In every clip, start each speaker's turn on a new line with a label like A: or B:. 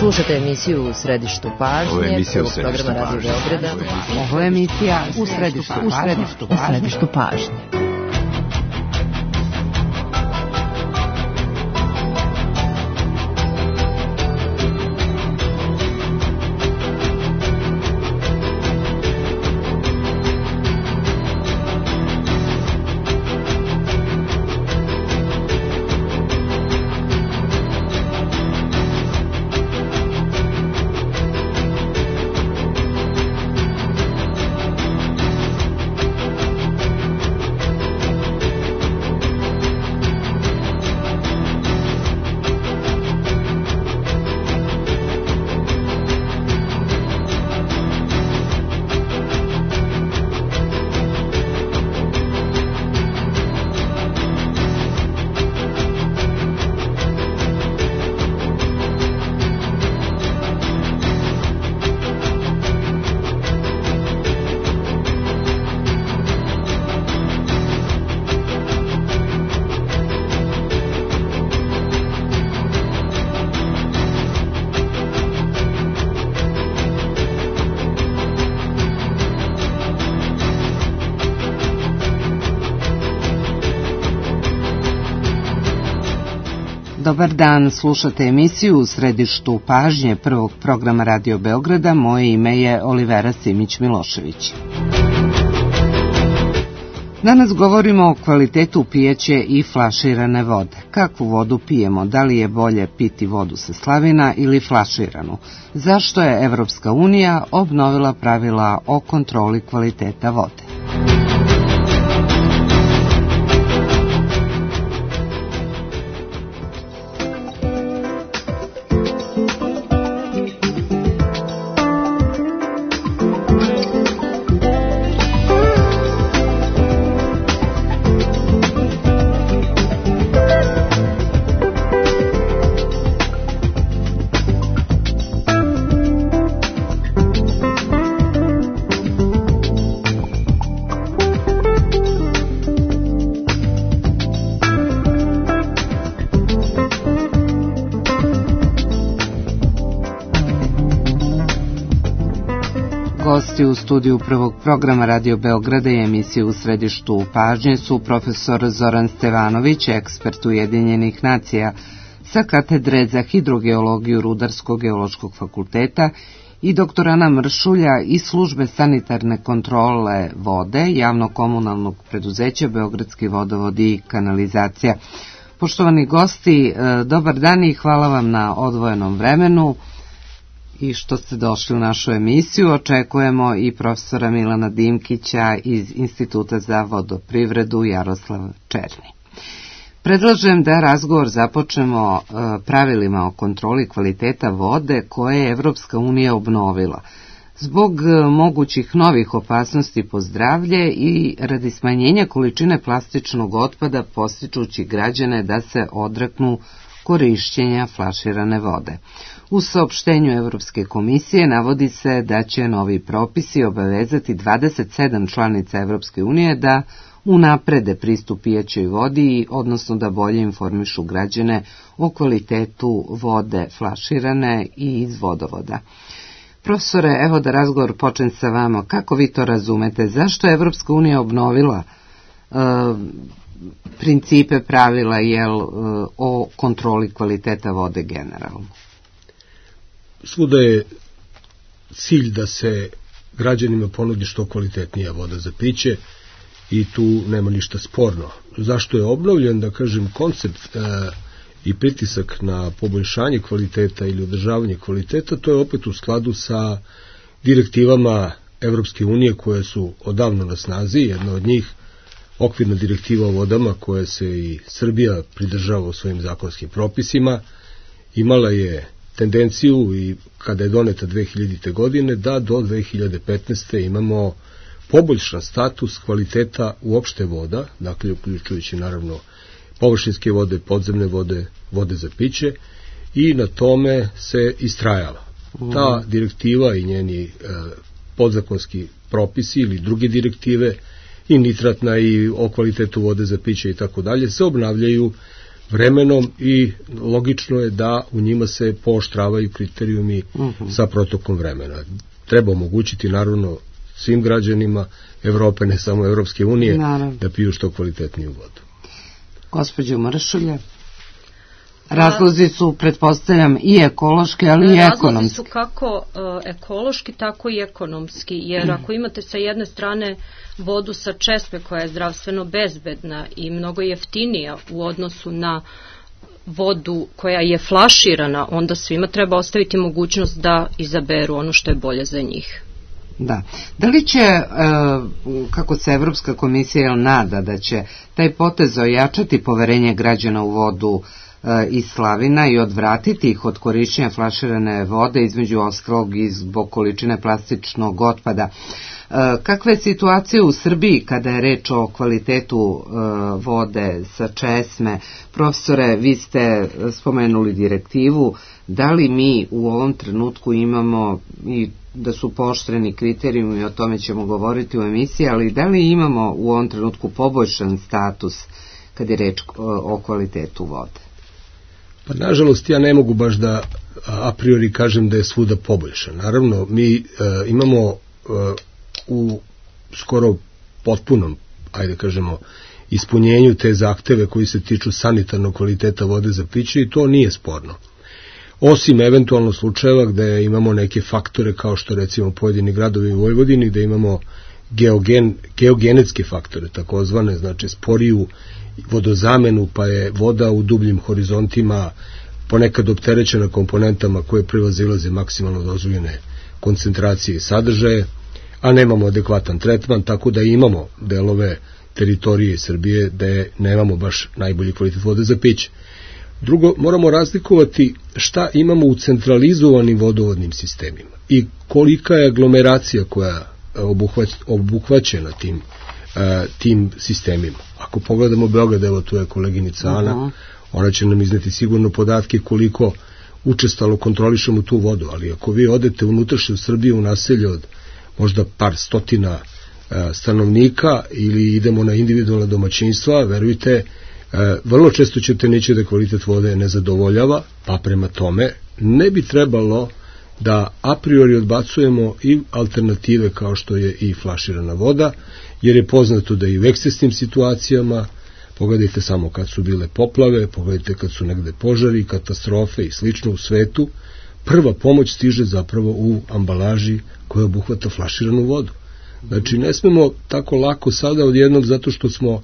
A: Slušate emisiju U središtu pažnje, prvog programa Radio Beograda.
B: Ovo je emisija U središtu pažnje. Dobar dan, slušate emisiju U središtu pažnje prvog programa Radio Beograda. Moje ime je Olivera Simić-Milošević. Danas govorimo o kvalitetu pijeće i flaširane vode. Kakvu vodu pijemo? Da li je bolje piti vodu sa slavina ili flaširanu? Zašto je Evropska unija obnovila pravila o kontroli kvaliteta vode? Gosti u studiju prvog programa Radio Beograda i emisije U središtu pažnje su profesor Zoran Stevanović, ekspert Ujedinjenih nacija sa katedre za hidrogeologiju Rudarsko-geološkog fakulteta, i dr. Ana Mršulja iz službe sanitarne kontrole vode javno-komunalnog preduzeća Beogradski vodovod i kanalizacija. Poštovani gosti, dobar dan i hvala vam na odvojenom vremenu i što ste došli u našu emisiju. Očekujemo i profesora Milana Dimkića iz Instituta za vodoprivredu Jaroslav Černi. Predlažem da razgovor započnemo pravilima o kontroli kvaliteta vode koje je Evropska unija obnovila zbog mogućih novih opasnosti po zdravlje i radi smanjenja količine plastičnog otpada, podstičući građane da se odreknu korišćenja flaširane vode. U saopštenju Evropske komisije navodi se da će novi propisi obavezati 27 članica Evropske unije da unaprede pristup pijećoj vodi, odnosno da bolje informišu građane o kvalitetu vode flaširane i iz vodovoda. Profesore, evo da razgovor počne sa vama. Kako vi to razumete? Zašto je Evropska unija obnovila principe, pravila o kontroli kvaliteta vode generalno?
C: Svuda je cilj da se građanima ponudi što kvalitetnija voda za piće i tu nema ništa sporno. Zašto je obnovljen, da kažem, koncept i pritisak na poboljšanje kvaliteta ili održavanje kvaliteta? To je opet u skladu sa direktivama Evropske unije koje su odavno na snazi. Jedna od njih, okvirna direktiva o vodama, koja se i Srbija pridržava u svojim zakonskim propisima, imala je tendenciju i kada je doneta 2000. godine da do 2015. imamo poboljšan status kvaliteta uopšte voda, dakle uključujući naravno površinske vode, podzemne vode, vode za piće, i na tome se istrajalo. Ta direktiva i njeni podzakonski propisi ili druge direktive, i nitratna i o kvalitetu vode za piće i tako dalje, se obnavljaju vremenom i logično je da u njima se pooštravaju kriterijumi sa protokom vremena. Treba omogućiti naravno svim građanima Evrope, ne samo Evropske unije, da piju što kvalitetniju vodu.
B: Gospođo Mršulje, razlozi su, pretpostavljam, i ekološki, ali i ekonomski.
D: Razlozi su kako ekološki, tako i ekonomski, jer ako imate sa jedne strane vodu sa česme koja je zdravstveno bezbedna i mnogo jeftinija u odnosu na vodu koja je flaširana, onda svima treba ostaviti mogućnost da izaberu ono što je bolje za njih.
B: Da. Da li će, kako se Evropska komisija nada, da će taj potez ojačati poverenje građana u vodu iz slavina i odvratiti ih od korišćenja flaširane vode, između ostalog i zbog količine plastičnog otpada? Kakva je situacija u Srbiji kada je reč o kvalitetu vode sa česme? Profesore, vi ste spomenuli direktivu, da li mi u ovom trenutku imamo, i da su pooštreni kriterijumi, o tome ćemo govoriti u emisiji, ali da li imamo u ovom trenutku poboljšan status kad je reč o kvalitetu vode?
C: Pa nažalost ja ne mogu baš da a priori kažem da je svuda poboljšan. Naravno mi imamo u skoro potpunom, ajde kažemo, ispunjenju te zahteve koji se tiču sanitarnog kvaliteta vode za piće i to nije sporno. Osim eventualno slučajeva gde imamo neke faktore kao što recimo pojedini gradovi u Vojvodini gde imamo geogenetske faktore, takozvane, znači sporiju vodozamenu, pa je voda u dubljim horizontima ponekad opterećena komponentama koje prevazilaze maksimalno dozvoljene koncentracije i sadržaje, a nemamo adekvatan tretman, tako da imamo delove teritorije Srbije gde nemamo baš najbolji kvalitet vode za piće. Drugo, moramo razlikovati šta imamo u centralizovanim vodovodnim sistemima i kolika je aglomeracija koja je obuhvaćena tim sistemima. Ako pogledamo Beograd, evo tu je koleginica Ana, ona će nam izneti sigurno podatke koliko učestalo kontrolišemo tu vodu, ali ako vi odete unutrašnju Srbiju u naselje od možda par stotina stanovnika ili idemo na individualna domaćinstva, verujte, vrlo često ćete naći da kvalitet vode ne zadovoljava, pa prema tome ne bi trebalo da a priori odbacujemo i alternative kao što je i flaširana voda, jer je poznato da i u ekscesnim situacijama, pogledajte samo kad su bile poplave, pogledajte kad su negde požari, katastrofe i slično u svetu, prva pomoć stiže zapravo u ambalaži koja obuhvata flaširanu vodu. Znači ne smemo tako lako sada odjednom zato što smo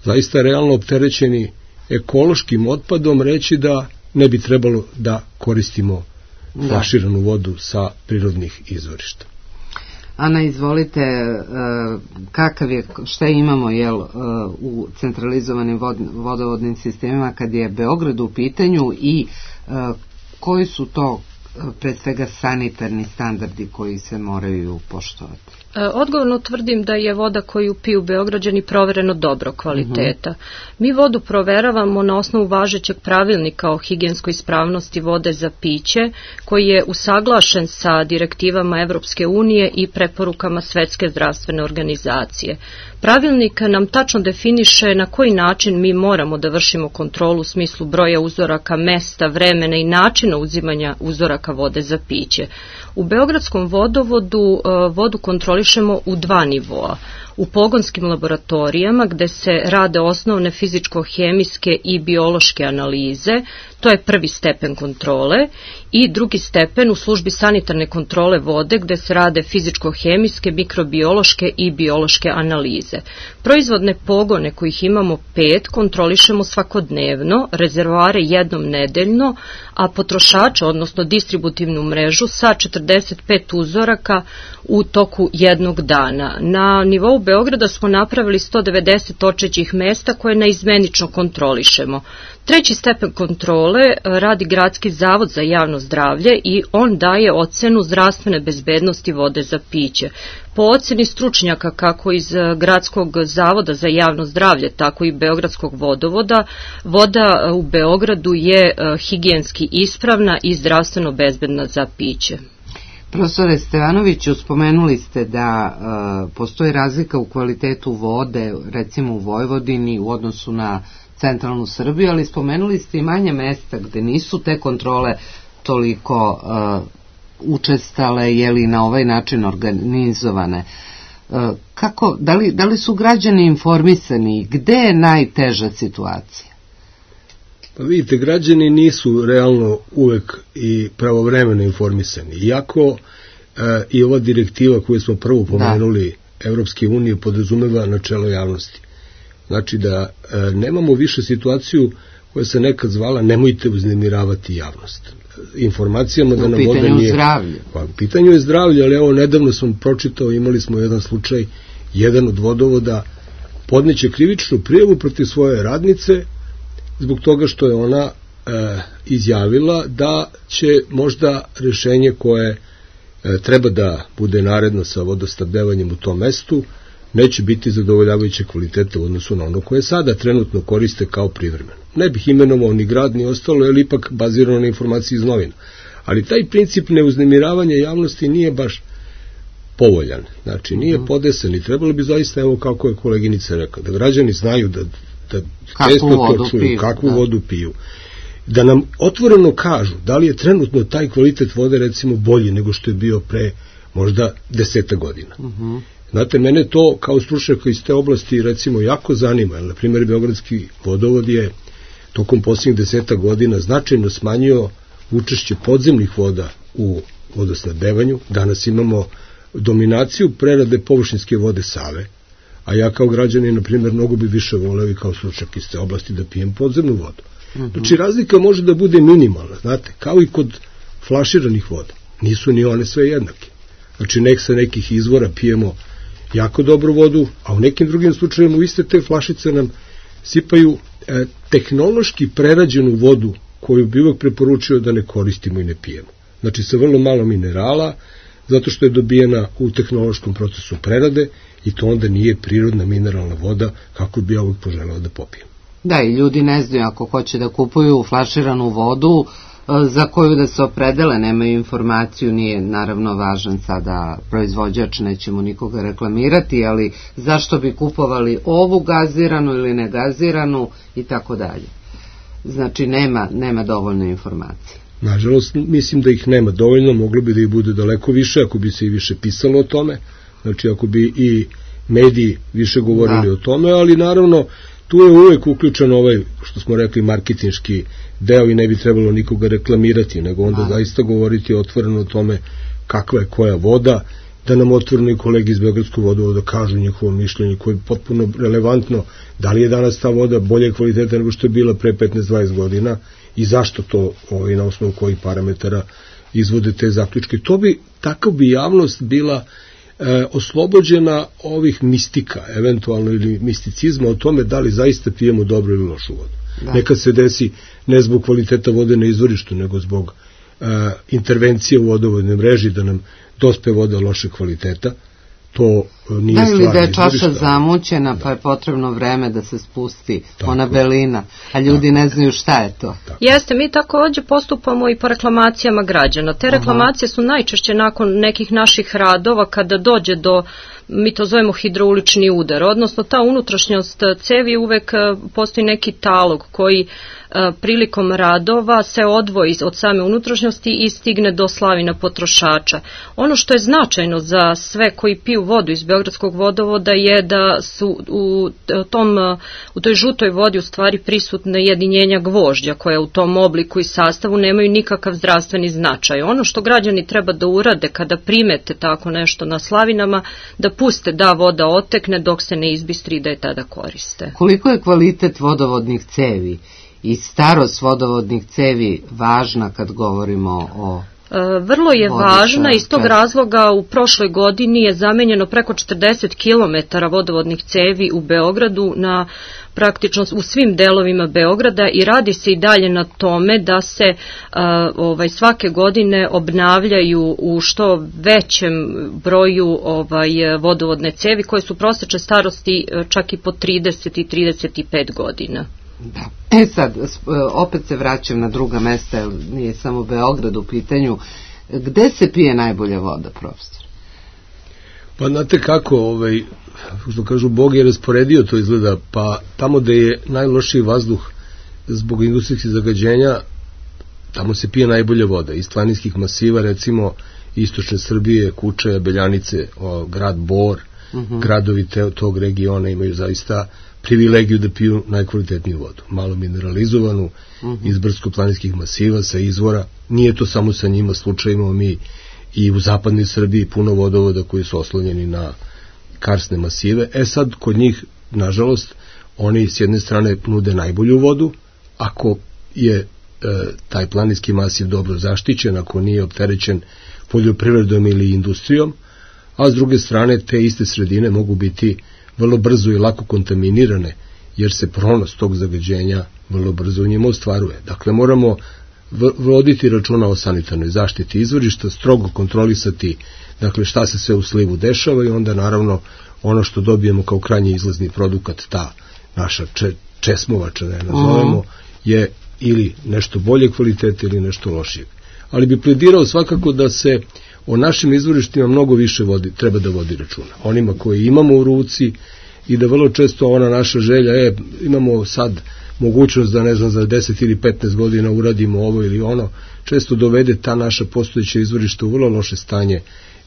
C: zaista realno opterećeni ekološkim otpadom reći da ne bi trebalo da koristimo flaširanu vodu sa prirodnih izvorišta.
B: Ana, izvolite, šta imamo u centralizovanim vodovodnim sistemima kad je Beograd u pitanju i koji su to pre svega sanitarni standardi koji se moraju poštovati?
D: Odgovorno tvrdim da je voda koju piju Beograđani provereno dobro kvaliteta. Mi vodu proveravamo na osnovu važećeg pravilnika o higijenskoj ispravnosti vode za piće, koji je usaglašen sa direktivama Evropske unije i preporukama Svetske zdravstvene organizacije. Pravilnik nam tačno definiše na koji način mi moramo da vršimo kontrolu u smislu broja uzoraka, mesta, vremena i načina uzimanja uzoraka vode za piće. U Beogradskom vodovodu vodu kontrolišemo u 2 nivoa. U pogonskim laboratorijama gde se rade osnovne fizičko-hemijske i biološke analize, to je prvi stepen kontrole, i drugi stepen u službi sanitarne kontrole vode gde se rade fizičko-hemijske, mikrobiološke i biološke analize. Proizvodne pogone kojih imamo 5 kontrolišemo svakodnevno, rezervoare jednom nedeljno, a potrošače, odnosno distributivnu mrežu sa 45 uzoraka u toku jednog dana. Na nivou Beograda smo napravili 190 točećih mesta koje naizmenično kontrolišemo. Treći stepen kontrole radi Gradski zavod za javno zdravlje i on daje ocenu zdravstvene bezbednosti vode za piće. Po oceni stručnjaka kako iz Gradskog zavoda za javno zdravlje, tako i Beogradskog vodovoda, voda u Beogradu je higijenski ispravna i zdravstveno bezbedna za piće.
B: Profesore Stevanoviću, spomenuli ste da postoji razlika u kvalitetu vode, recimo u Vojvodini, u odnosu na centralnu Srbiju, ali spomenuli ste i manje mesta gde nisu te kontrole toliko učestale, jeli na ovaj način organizovane. Kako, da li su građani informisani? Gde je najteža situacija?
C: Pa vidite, građani nisu realno uvek i pravovremeno informisani. Iako i ova direktiva koju smo prvo pomenuli, Evropske unije, podrazumeva načelo javnosti. Znači da nemamo više situaciju koja se nekad zvala nemojte uznemiravati javnost. Informacijama da nam voda nije...
B: zdravlje.
C: Pa, u pitanju je zdravlje, ali evo nedavno sam pročitao, imali smo jedan slučaj, jedan od vodovoda podneće krivičnu prijavu protiv svoje radnice zbog toga što je ona izjavila da će možda rešenje koje treba da bude naredno sa vodosnabdevanjem u tom mestu neće biti zadovoljavajuće kvalitete u odnosu na ono koje sada trenutno koriste kao privremeno. Ne bih imenovao ni grad ni ostalo, jer ipak bazirano na informaciji iz novina. Ali taj princip neuznemiravanja javnosti nije baš povoljan. Znači, nije podesen i trebalo bi zaista, evo kako je koleginica rekla, da građani znaju da često to čuju, kakvu vodu piju. Da nam otvoreno kažu da li je trenutno taj kvalitet vode recimo bolji nego što je bio pre možda 10 godina. Znate, mene to kao stručnjaka iz te oblasti recimo jako zanima, jer na primjer Beogradski vodovod je tokom posljednjih 10 godina značajno smanjio učešće podzemnih voda u vodosnabdevanju. Danas imamo dominaciju prerade površinske vode Save, a ja kao građanin, na primjer, mnogo bi više voleo i kao stručnjak iz te oblasti da pijem podzemnu vodu. Znači, razlika može da bude minimalna, znate, kao i kod flaširanih voda. Nisu ni one sve jednake. Znači, sa nekih izvora pijemo jako dobru vodu, a u nekim drugim slučajima u iste te flašice nam sipaju tehnološki prerađenu vodu koju bi uvek preporučio da ne koristimo i ne pijemo. Znači, sa vrlo malo minerala, zato što je dobijena u tehnološkom procesu prerade i to onda nije prirodna mineralna voda kako bi ja uvek poželeo da popijem.
B: Da, i ljudi ne znaju ako hoće da kupuju flaširanu vodu za koju da se opredele, nemaju informaciju, nije naravno važan sada proizvođač, nećemo nikoga reklamirati, ali zašto bi kupovali ovu gaziranu ili negaziranu i tako dalje. Znači nema dovoljno informacije.
C: Nažalost, mislim da ih nema dovoljno, moglo bi da ih bude daleko više ako bi se i više pisalo o tome, znači ako bi i mediji više govorili o tome, ali naravno tu je uvek uključen ovaj, što smo rekli, marketinški deo i ne bi trebalo nikoga reklamirati, nego onda zaista govoriti otvoreno o tome kakva je koja voda, da nam otvoreno i kolegi iz Beogradskog vodovoda kažu njihovo mišljenje koje je potpuno relevantno, da li je danas ta voda bolje kvaliteta nego što je bila pre 15-20 godina i zašto to na osnovu kojih parametara izvode te zaključke. Takav bi javnost bila oslobođena ovih mistika, eventualno ili misticizma o tome da li zaista pijemo dobro ili lošu vodu. Nekad se desi ne zbog kvaliteta vode na izvorištu, nego zbog intervencije u vodovodnoj mreži da nam dospe voda loše kvaliteta. To nije stvar.
B: Ili da je čaša zamućena pa je potrebno vreme da se spusti ona belina, a ljudi ne znaju šta je to.
D: Jeste, mi takođe postupamo i po reklamacijama građana. Te reklamacije su najčešće nakon nekih naših radova kada dođe do, mi to zovemo hidroulični udar, odnosno ta unutrašnjost cevi uvek postoji neki talog koji prilikom radova se odvoji od same unutrašnjosti i stigne do slavina potrošača. Ono što je značajno za sve koji piju vodu iz Beogradskog vodovoda je da su u toj žutoj vodi u stvari prisutne jedinjenja gvožđa koja u tom obliku i sastavu nemaju nikakav zdravstveni značaj. Ono što građani treba da urade kada primete tako nešto na slavinama, da puste da voda otekne dok se ne izbistri i da je tada koriste.
B: Koliko je kvalitet vodovodnih cevi i starost vodovodnih cevi važna kad govorimo o...
D: Vrlo je važna, iz tog razloga u prošloj godini je zamenjeno preko 40 km vodovodnih cevi u Beogradu na praktično u svim delovima Beograda i radi se i dalje na tome da se svake godine obnavljaju u što većem broju vodovodne cevi koje su prosečne starosti čak i po 30 i 35 godina.
B: Da. Sad, opet se vraćam na druga mesta, jer nije samo Beograd u pitanju. Gde se pije najbolja voda, profesor?
C: Pa znate kako, što kažu, Bog je rasporedio, to izgleda, pa tamo gde je najlošiji vazduh zbog industrijskih zagađenja, tamo se pije najbolja voda. Iz planinskih masiva, recimo, istočne Srbije, Kučaja, Beljanice, grad Bor, gradovi tog regiona imaju zaista privilegiju da piju najkvalitetniju vodu. Malo mineralizovanu, iz brdsko-planinskih masiva, sa izvora. Nije to samo sa njima slučaj, imamo mi i u zapadnoj Srbiji puno vodovoda koji su oslonjeni na karsne masive. Sad, kod njih, nažalost, oni s jedne strane nude najbolju vodu, ako je taj planinski masiv dobro zaštićen, ako nije opterećen poljoprivredom ili industrijom, a s druge strane te iste sredine mogu biti vrlo brzo i lako kontaminirane, jer se pronos tog zagađenja vrlo brzo u njima ostvaruje. Dakle, moramo voditi računa o sanitarnoj zaštiti izvorišta, strogo kontrolisati, dakle, šta se sve u slivu dešava i onda naravno ono što dobijemo kao krajnji izlazni produkt, ta naša česmovača, da je nazovemo, je ili nešto bolje kvalitete ili nešto lošije. Ali bi pledirao svakako da se o našim izvorištima mnogo više treba da vodi računa. Onima koji imamo u ruci i da vrlo često ona naša želja, imamo sad mogućnost da, ne znam, za 10 ili 15 godina uradimo ovo ili ono, često dovede ta naša postojeća izvorišta u vrlo loše stanje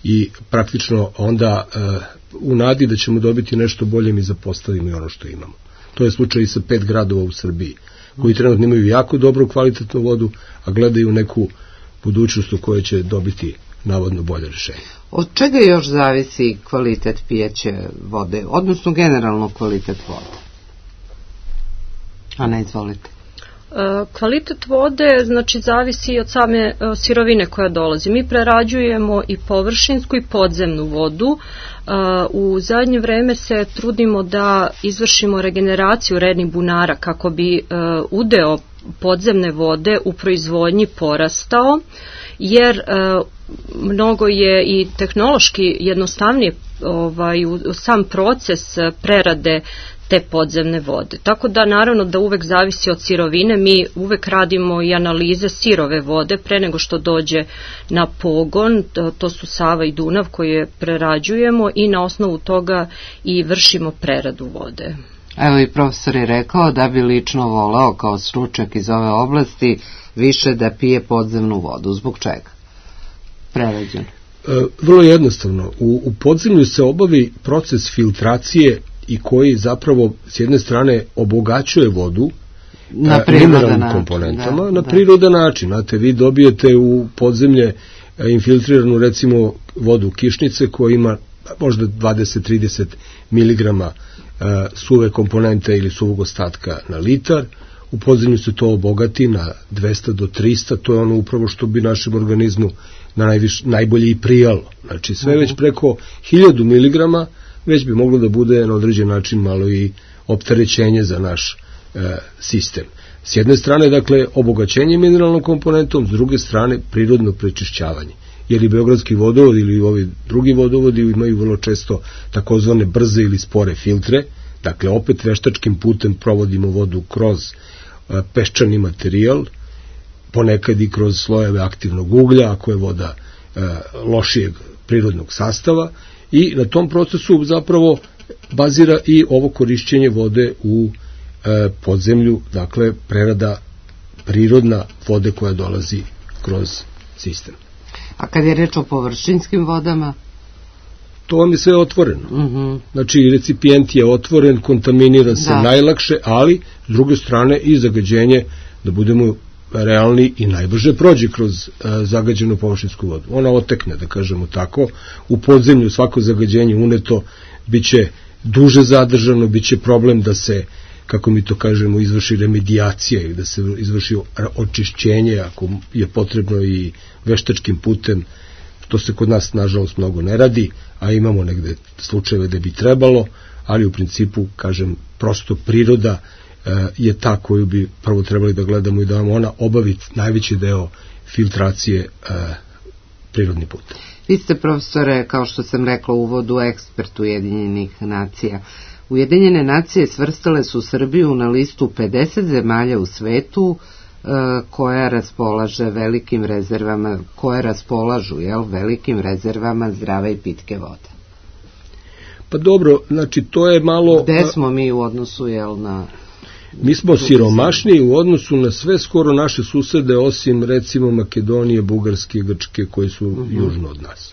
C: i praktično onda u nadi da ćemo dobiti nešto bolje mi zapostavimo i ono što imamo. To je slučaj i sa 5 gradova u Srbiji, koji trenutno imaju jako dobru kvalitetnu vodu, a gledaju neku budućnost u kojoj će dobiti navodno bolje rešenje.
B: Od čega još zavisi kvalitet pijeće vode, odnosno generalno kvalitet vode? Ana, izvolite.
D: Kvalitet vode, znači, zavisi od same sirovine koja dolazi. Mi prerađujemo i površinsku i podzemnu vodu. U zadnje vreme se trudimo da izvršimo regeneraciju rednih bunara kako bi udeo podzemne vode u proizvodnji porastao, jer mnogo je i tehnološki jednostavnije sam proces prerade te podzemne vode. Tako da naravno da uvek zavisi od sirovine, mi uvek radimo i analize sirove vode pre nego što dođe na pogon, to su Sava i Dunav koje prerađujemo i na osnovu toga i vršimo preradu vode.
B: Evo i profesor je rekao da bi lično voleo kao stručnjak iz ove oblasti više da pije podzemnu vodu. Zbog čega? Prerađeno.
C: Vrlo jednostavno. U podzemlju se obavi proces filtracije i koji zapravo s jedne strane obogaćuje vodu mineralnim komponentama na prirodan način. Znate, vi dobijete u podzemlje infiltriranu recimo vodu kišnice koja ima možda 20-30 miligrama suve komponente ili suvog ostatka na litar. U podzemlju se to obogati na 200 do 300, to je ono upravo što bi našem organizmu najbolje i prijalo. Znači sve već preko 1000 miligrama već bi moglo da bude na određen način malo i opterećenje za naš sistem. S jedne strane, dakle, obogaćenje mineralnom komponentom, s druge strane, prirodno prečišćavanje. Jer i beogradski vodovod ili ovi drugi vodovodi imaju vrlo često takozvane brze ili spore filtre, dakle, opet veštačkim putem provodimo vodu kroz peščani materijal, ponekad i kroz slojeve aktivnog uglja, ako je voda lošijeg prirodnog sastava, i na tom procesu zapravo bazira i ovo korišćenje vode u podzemlju, dakle prerada prirodna vode koja dolazi kroz sistem.
B: A kad je reč o površinskim vodama?
C: To vam je sve otvoreno. Znači, recipijent je otvoren, kontaminira se najlakše, ali s druge strane i zagađenje, da budemo realni, i najbrže prođe kroz zagađenu površinsku vodu. Ona otekne, da kažemo tako. U podzemlju svako zagađenje uneto biće duže zadržano, biće problem da se, kako mi to kažemo, izvrši remedijacija ili da se izvrši očišćenje, ako je potrebno i veštačkim putem. To se kod nas, nažalost, mnogo ne radi, a imamo negde slučajeve da bi trebalo, ali u principu, kažem, prosto priroda je ta koju bi prvo trebali da gledamo i da vam ona obavi najveći deo filtracije prirodni put.
B: Vi ste, profesore, kao što sam rekla u uvodu, ekspert Ujedinjenih nacija. Ujedinjene nacije svrstale su Srbiju na listu 50 zemalja u svetu koja raspolaže velikim rezervama, koje raspolažu velikim rezervama zdrave i pitke vode.
C: Pa dobro, znači to je malo...
B: Gde smo mi u odnosu, na...
C: Mi smo siromašniji u odnosu na sve skoro naše susede, osim recimo Makedonije, Bugarske, Grčke, koji su južno od nas.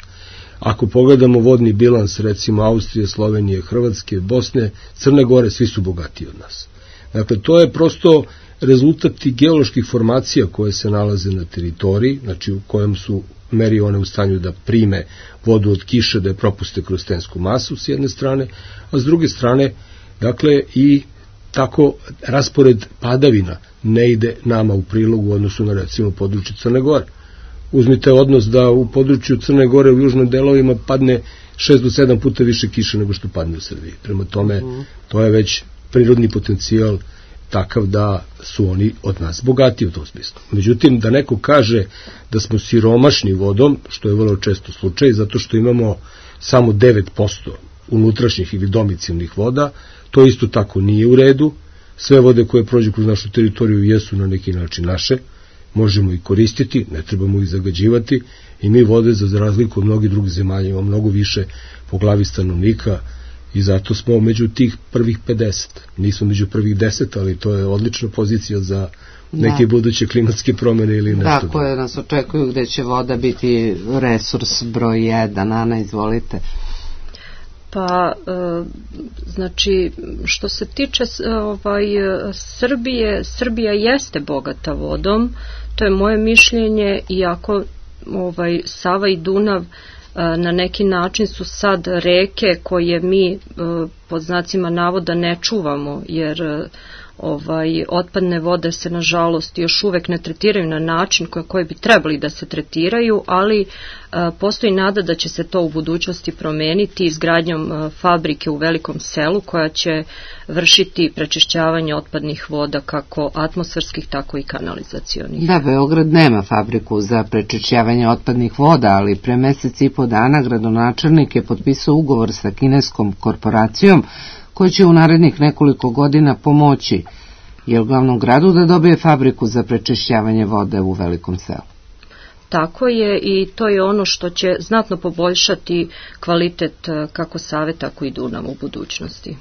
C: Ako pogledamo vodni bilans, recimo Austrije, Slovenije, Hrvatske, Bosne, Crne Gore, svi su bogatiji od nas. Dakle, to je prosto rezultat tih geoloških formacija koje se nalaze na teritoriji, znači u kojem su meri one u stanju da prime vodu od kiše, da je propuste kroz stensku masu s jedne strane, a s druge strane, dakle, i tako raspored padavina ne ide nama u prilogu u odnosu na recimo područje Crne Gore. Uzmite odnos da u području Crne Gore u južnim delovima padne 6 do 7 puta više kiše nego što padne u Srbiji. Prema tome, to je već prirodni potencijal takav da su oni od nas bogatiji u tom smislu. Međutim, da neko kaže da smo siromašni vodom, što je vrlo često slučaj, zato što imamo samo 9% unutrašnjih ili domicilnih voda, to isto tako nije u redu. Sve vode koje prođu kroz našu teritoriju jesu na neki način naše, možemo ih koristiti, ne trebamo ih zagađivati i mi vode za razliku od mnogih drugih zemalja imamo mnogo više po glavi stanovnika i zato smo među tih prvih 50. Nismo među prvih 10, ali to je odlična pozicija za neke buduće klimatske promjene ili nešto.
B: Da, koje nas očekuju gde će voda biti resurs broj 1. Ana, izvolite.
D: Pa, znači, što se tiče Srbije, Srbija jeste bogata vodom, to je moje mišljenje, iako Sava i Dunav na neki način su sad reke koje mi pod znacima navoda ne čuvamo, jer otpadne vode se nažalost još uvek ne tretiraju na način koji bi trebali da se tretiraju, ali postoji nada da će se to u budućnosti promeniti izgradnjom fabrike u Velikom Selu koja će vršiti prečišćavanje otpadnih voda kako atmosferskih tako i kanalizacionih.
B: Da, Beograd nema fabriku za prečišćavanje otpadnih voda, ali pre mesec i po dana gradonačelnik je potpisao ugovor sa kineskom korporacijom koji će u narednih nekoliko godina pomoći glavnom gradu da dobije fabriku za prečišćavanje vode u Velikom Selu.
D: Tako je i to je ono što će znatno poboljšati kvalitet kako Save, tako i Dunava u budućnosti.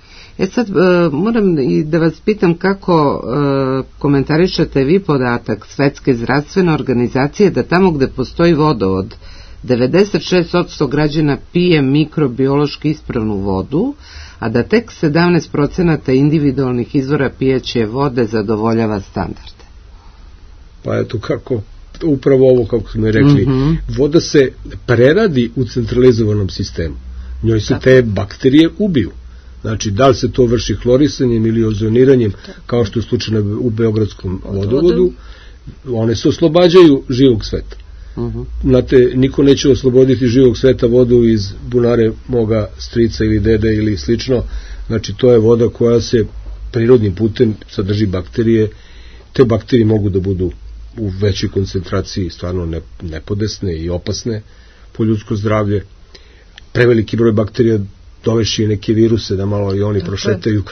B: Sad moram i da vas pitam kako komentarišete vi podatak Svetske zdravstvene organizacije da tamo gde postoji vodovod 96% građana pije mikrobiološki ispravnu vodu, a da tek 17% individualnih izvora pijeće vode zadovoljava standarde.
C: Pa eto kako, upravo ovo kako smo rekli, voda se preradi u centralizovanom sistemu. Njoj se te bakterije ubiju. Znači, da li se to vrši hlorisanjem ili ozoniranjem, kao što je slučaj u Beogradskom vodovodu, one se oslobađaju živog sveta. Znate, niko neće osloboditi živog sveta vodu iz bunare moga strica ili dede ili slično. Znači, to je voda koja se prirodnim putem sadrži bakterije. Te bakterije mogu da budu u većoj koncentraciji stvarno nepodesne i opasne po ljudsko zdravlje. Preveliki broj bakterija dovešće neke viruse da malo i oni prošetaju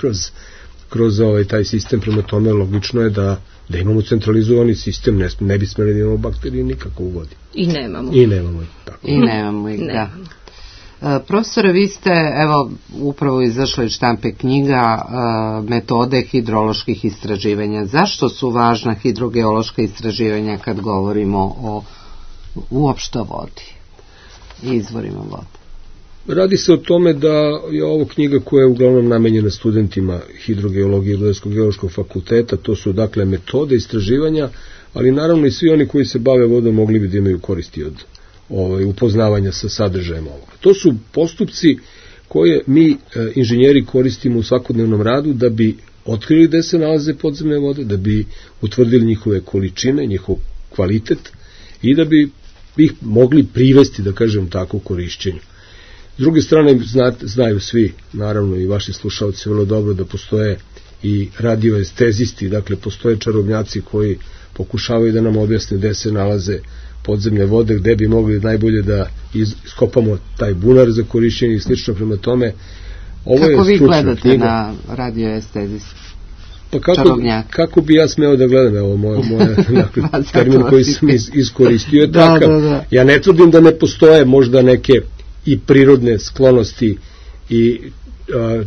C: kroz taj sistem. Prema tome logično je da imamo centralizovani sistem, ne bi smeli da imamo bakterije nikako u vodi.
D: I nemamo.
C: I nemamo
B: ih, da. Profesore, vi ste, evo, upravo izašla iz štampe knjiga metode hidroloških istraživanja. Zašto su važna hidrogeološka istraživanja kad govorimo o uopšte vodi i izvorima vode?
C: Radi se o tome da je ovo knjiga koja je uglavnom namenjena studentima hidrogeologije i Rudarsko-geološkog fakulteta, to su dakle metode istraživanja, ali naravno i svi oni koji se bave vodom mogli bi da imaju koristi od upoznavanja sa sadržajem ovoga. To su postupci koje mi inženjeri koristimo u svakodnevnom radu da bi otkrili gde se nalaze podzemne vode, da bi utvrdili njihove količine, njihov kvalitet i da bi ih mogli privesti, da kažem tako, u korišćenju. S druge strane, znaju svi, naravno i vaši slušalci vrlo dobro, da postoje i radioestezisti, dakle postoje čarobnjaci koji pokušavaju da nam objasne gde se nalaze podzemne vode, gde bi mogli najbolje da iskopamo taj bunar za korišćenje i slično. Prema tome, ovo je
B: kako vi gledate knjiga na radioestezist?
C: Pa kako bi ja smeo da gledam, evo moja termin koji sam iskoristio je takav. Ja ne tvrdim da ne postoje možda neke i prirodne sklonosti i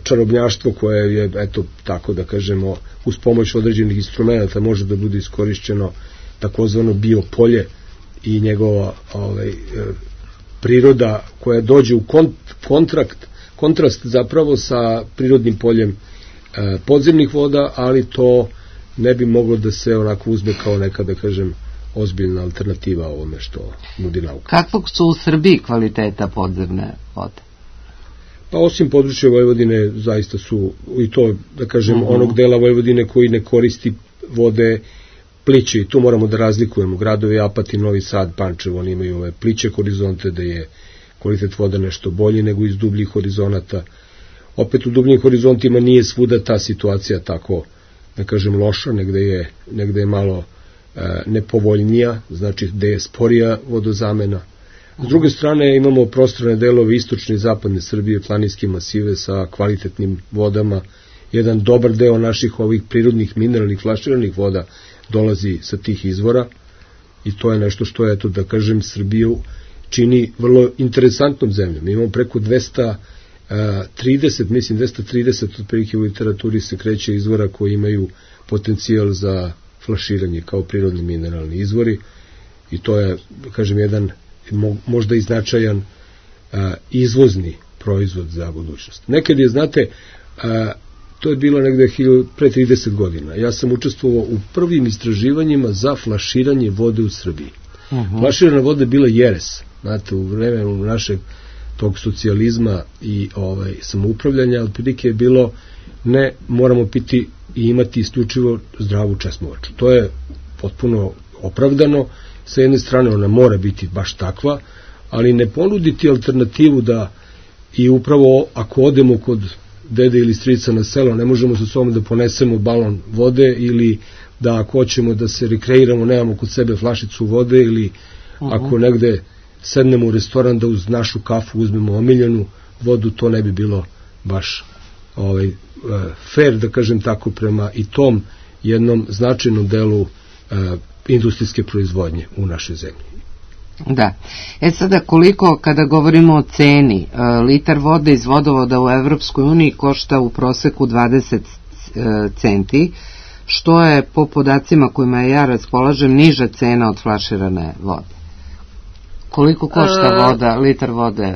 C: čarobnjaštvo koje je, eto, tako da kažemo, uz pomoć određenih instrumenta može da bude iskorišćeno, takozvano biopolje i njegova priroda koja dođe u kontrast zapravo sa prirodnim poljem podzemnih voda, ali to ne bi moglo da se onako uzme kao neka, da kažem, ozbiljna alternativa ovome što nudi nauka.
B: Kakvog su u Srbiji kvaliteta podzemne vode?
C: Pa osim područja Vojvodine zaista su i to, da kažem, onog dela Vojvodine koji ne koristi vode pliće, i tu moramo da razlikujemo. Gradovi Apatin, Novi Sad, Pančevo, oni imaju ove pliće horizonte da je kvalitet voda nešto bolji nego iz dubljih horizonata. Opet u dubljim horizontima nije svuda ta situacija tako, da kažem, loša, negde je malo nepovoljnija, znači gde je sporija vodozamena. S druge strane imamo prostrane delove istočne i zapadne Srbije, planinske masive sa kvalitetnim vodama. Jedan dobar deo naših ovih prirodnih mineralnih flaširanih voda dolazi sa tih izvora i to je nešto što je, da kažem, Srbiju čini vrlo interesantnom zemljom. Imamo preko 230 otprilike u literaturi se kreće izvora koji imaju potencijal za flaširanje kao prirodni mineralni izvori i to je, kažem, jedan možda i značajan izvozni proizvod za budućnost. Nekad je, znate, to je bilo negde pre 30 godina. Ja sam učestvovao u prvim istraživanjima za flaširanje vode u Srbiji. Flaširana voda je bila jeres. Znate, u vremenu našeg tog socijalizma i samoupravljanja, otprilike je bilo ne, moramo piti i imati isključivo zdravu česmovaču. To je potpuno opravdano. Sa jedne strane ona mora biti baš takva, ali ne ponuditi alternativu da i upravo ako odemo kod dede ili strica na selo, ne možemo sa sobom da ponesemo balon vode ili da ako hoćemo da se rekreiramo, nemamo kod sebe flašicu vode ili ako negde sednemo u restoran da uz našu kafu uzmemo omiljenu vodu, to ne bi bilo baš fair, da kažem tako, prema i tom jednom značajnom delu industrijske proizvodnje u našoj zemlji.
B: Da. Sada koliko, kada govorimo o ceni, litar vode iz vodovoda u Evropskoj uniji košta u proseku 20 centi, što je po podacima kojima ja raspolažem niža cena od flaširane vode. Koliko košta voda, litar vode?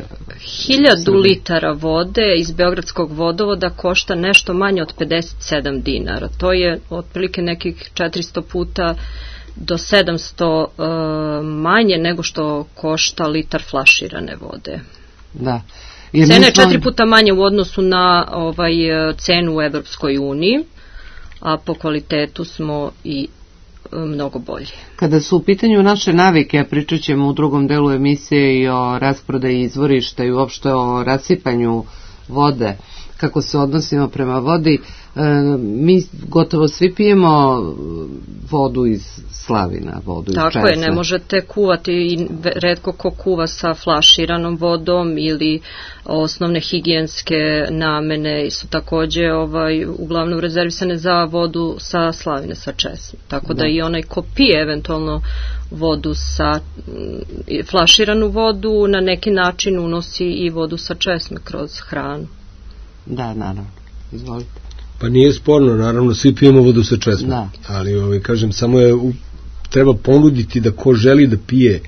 D: 1000 litara vode iz Beogradskog vodovoda košta nešto manje od 57 dinara. To je otprilike nekih 400 puta do 700 manje nego što košta litar flaširane vode.
B: Da.
D: Cena je 4 puta manje u odnosu na cenu u Evropskoj uniji, a po kvalitetu smo i mnogo bolji.
B: Kada su u pitanju naše navike, a pričat ćemo u drugom delu emisije i o rasprodaji izvorišta i uopšte o rasipanju vode, kako se odnosimo prema vodi, mi gotovo svi pijemo vodu iz slavina, vodu iz česme.
D: Tako je, ne možete kuvati i retko ko kuva sa flaširanom vodom ili osnovne higijenske namene su takođe uglavnom rezervisane za vodu sa slavine, sa česme. Tako da i onaj ko pije eventualno vodu sa flaširanu vodu na neki način unosi i vodu sa česme kroz hranu.
B: Da, naravno. Izvolite.
C: Pa nije sporno, naravno, svi pijemo vodu sa česmom, ali kažem, samo je treba ponuditi da ko želi da pije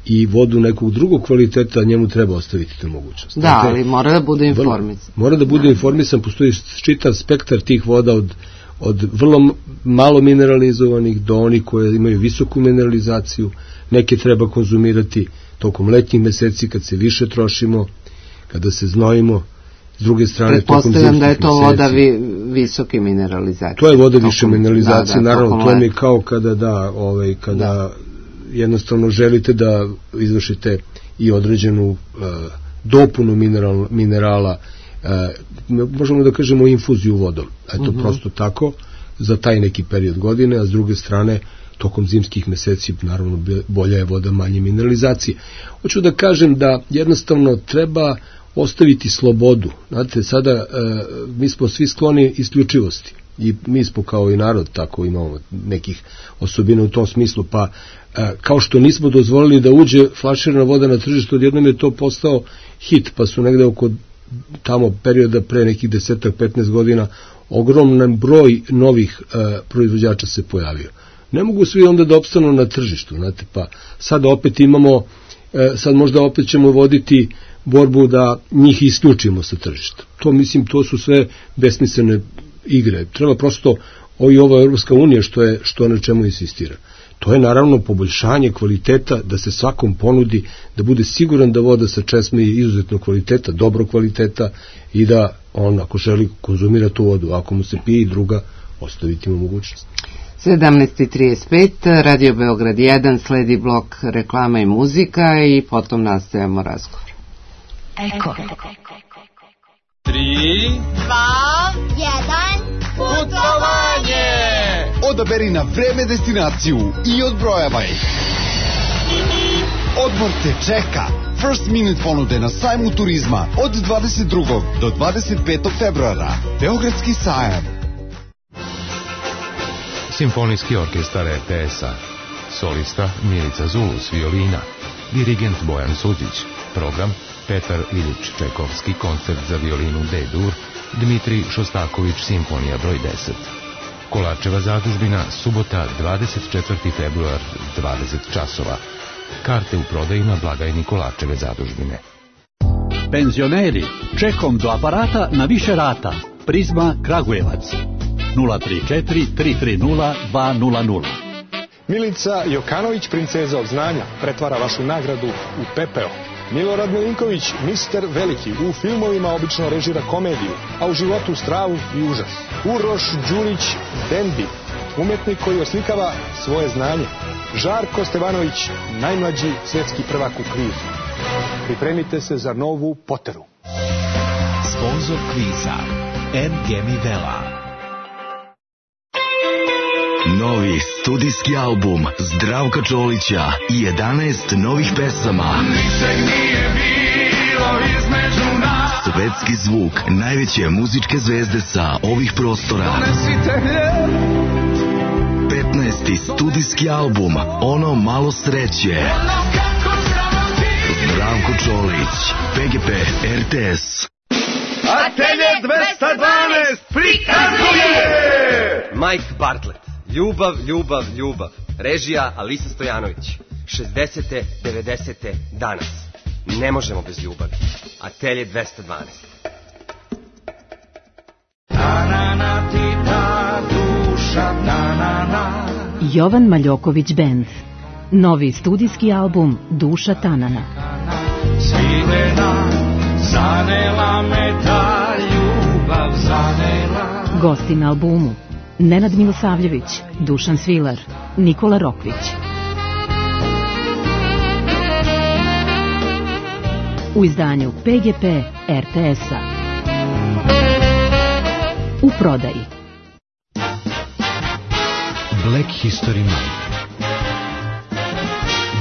C: i vodu nekog drugog kvaliteta, njemu treba ostaviti tu mogućnost.
B: Da, dakle, ali mora da bude informisan.
C: Mora da bude informisan, postoji čitav spektar tih voda od vrlo malo mineralizovanih do onih koje imaju visoku mineralizaciju. Neke treba konzumirati tokom letnjih meseci kad se više trošimo, kada se znojimo. S druge strane, tokom zimskih meseci.
B: Da je to voda visoke mineralizacije.
C: To je voda više mineralizacije, naravno, to je kao kada jednostavno želite da izvršite i određenu dopunu minerala, možemo da kažemo infuziju vodom. Eto, prosto tako, za taj neki period godine, a s druge strane, tokom zimskih meseci, naravno, bolja je voda manje mineralizacije. Hoću da kažem da jednostavno treba ostaviti slobodu. Znate, sada mi smo svi skloni isključivosti i mi smo kao i narod tako imamo nekih osobina u tom smislu, pa kao što nismo dozvolili da uđe flaširana voda na tržište, odjednom je to postao hit, pa su negde oko tamo perioda pre nekih 10-15 godina ogroman broj novih proizvođača se pojavio. Ne mogu svi onda da opstanu na tržištu, znate, pa sad opet imamo, sad možda opet ćemo voditi borbu da njih isključimo sa tržišta. To, mislim, to su sve besmislene igre. Treba prosto, ova Europska unija što na čemu insistira. To je naravno poboljšanje kvaliteta, da se svakom ponudi, da bude siguran da voda sa česme je izuzetno kvaliteta, dobro kvaliteta i da on, ako želi, konzumira tu vodu, ako mu se pije i druga, ostaviti mu mogućnost.
B: 17:35, Radio Beograd 1, sledi blok reklama i muzika i potom nastavljamo razgovor.
E: Eko.
F: 3, 2, 1, putovanje!
G: Odaberi na vreme destinaciju i odbrojavaj. Odmor te čeka. First Minute ponude na sajmu turizma od 22. do 25. februara. Beogradski sajam.
H: Simfonijski orkestar RTS-a. Solista Milica Zulus, violina. Dirigent Bojan Suđić. Program Petar Iljič Čekovski, koncert za violinu D-dur. Dmitrij Šostaković, simfonija broj 10. Kolarčeva zadužbina, subota 24. februar, 20 časova. Karte u prodaji na blagajni Kolarčeve zadužbine.
I: Penzioneri, čekom do aparata na više rata. Prizma Kragujevac. 034 330 200.
J: Milica Jokanović, princeza od znanja, pretvara vašu nagradu u pepeo. Milorad Milinković, mister Veliki, u filmovima obično režira komediju, a u životu stravu i užas. Uroš Đurić, Dendi, umetnik koji oslikava svoje znanje. Žarko Stevanović, najmlađi svetski prvak u kvizu. Pripremite se za novu Poteru.
K: Sponzor kviza Ngemi Vela.
L: Novi studijski album Zdravka Čolića i 11 novih pesama.
M: Ničeg nije bilo između nas.
L: Svetski zvuk najveće muzičke zvezde sa ovih prostora. 15. studijski album Ono malo sreće. Zdravko Čolić, PGP RTS.
M: Atelje 212 prikazuje
N: Mike Bartlett. Ljubav, ljubav, ljubav. Režija Alisa Stojanović. 60. 90. danas. Ne možemo bez ljubavi. Atelje 212.
M: Tanana ti ta duša, tanana.
O: Jovan Maljoković Band. Novi studijski album Duša Tanana.
M: Svidena, zanela me ta ljubav, zanela.
O: Gosti na albumu Nenad Milosavljević, Dušan Svilar, Nikola Rokvić. U izdanju PGP RTS-a. U prodaji.
P: Black History Month.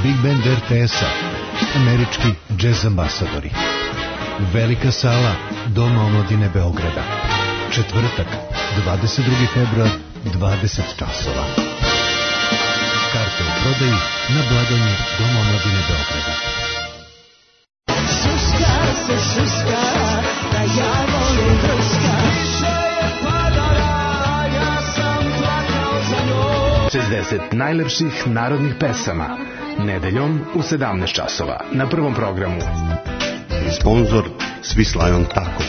P: Big Band RTS-a. Američki džez ambasadori. Velika sala Doma omladine Beograda. Četvrtak, 22. februar, 20 časova. Karte u prodaji na blagajni Doma omladine Beograda.
M: Šuška se šuška, da ja volim vrška. Više je padala, ja sam plakao za njoj.
Q: 60 najlepših narodnih pesama. Nedeljom u 17 časova na Prvom programu.
R: Sponzor Swiss Lion Taco.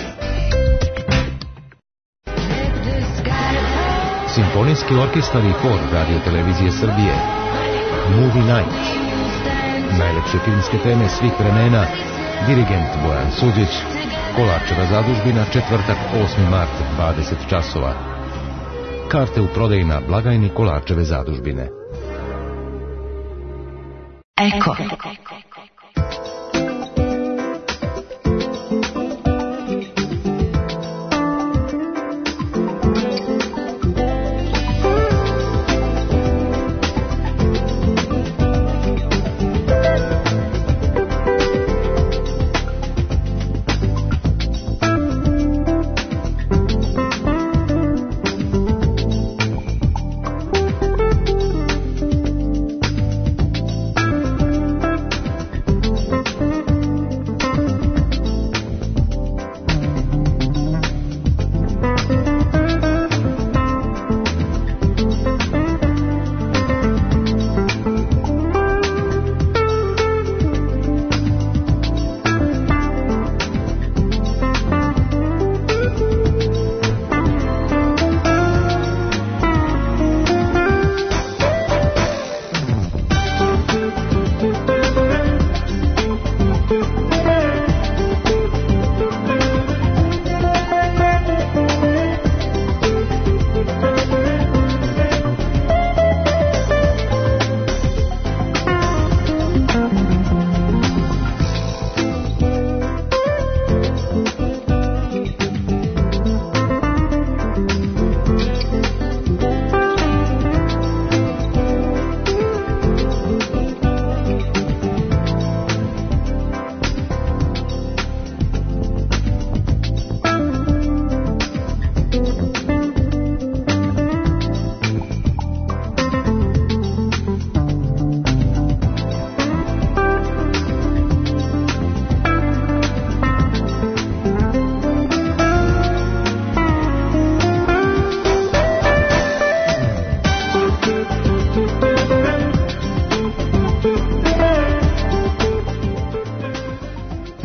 H: Simfonijski orkestar i hor Radio Televizije Srbije. Movie Night. Najlepše filmske teme svih vremena. Dirigent Bojan Suđić. Kolarčeva zadužbina, četvrtak 8. mart, 20 časova. Karte u prodaji na blagajni Kolarčeve zadužbine.
E: Eko.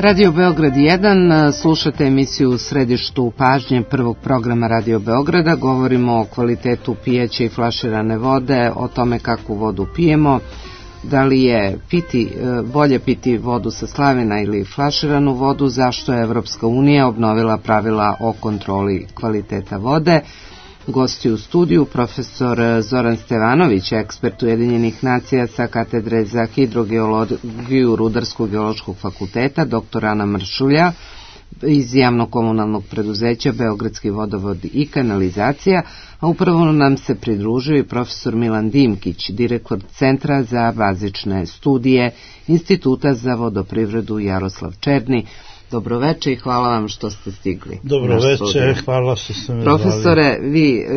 B: Radio Beograd 1, slušate emisiju u središtu pažnje prvog programa Radio Beograda. Govorimo o kvalitetu pijeće i flaširane vode, o tome kakvu vodu pijemo, da li je bolje piti vodu sa slavina ili flaširanu vodu, zašto je Evropska unija obnovila pravila o kontroli kvaliteta vode. Gosti u studiju profesor Zoran Stevanović, ekspert Ujedinjenih nacija sa katedre za hidrogeologiju Rudarsko-geološkog fakulteta, dr. Ana Mršulja iz javno-komunalnog preduzeća Beogradski vodovod i kanalizacija, a upravo nam se pridružio i profesor Milan Dimkić, direktor Centra za bazične studije Instituta za vodoprivredu Jaroslav Černi. Dobroveče i hvala vam što ste stigli.
S: Dobroveče, hvala što ste me zvali.
B: Profesore,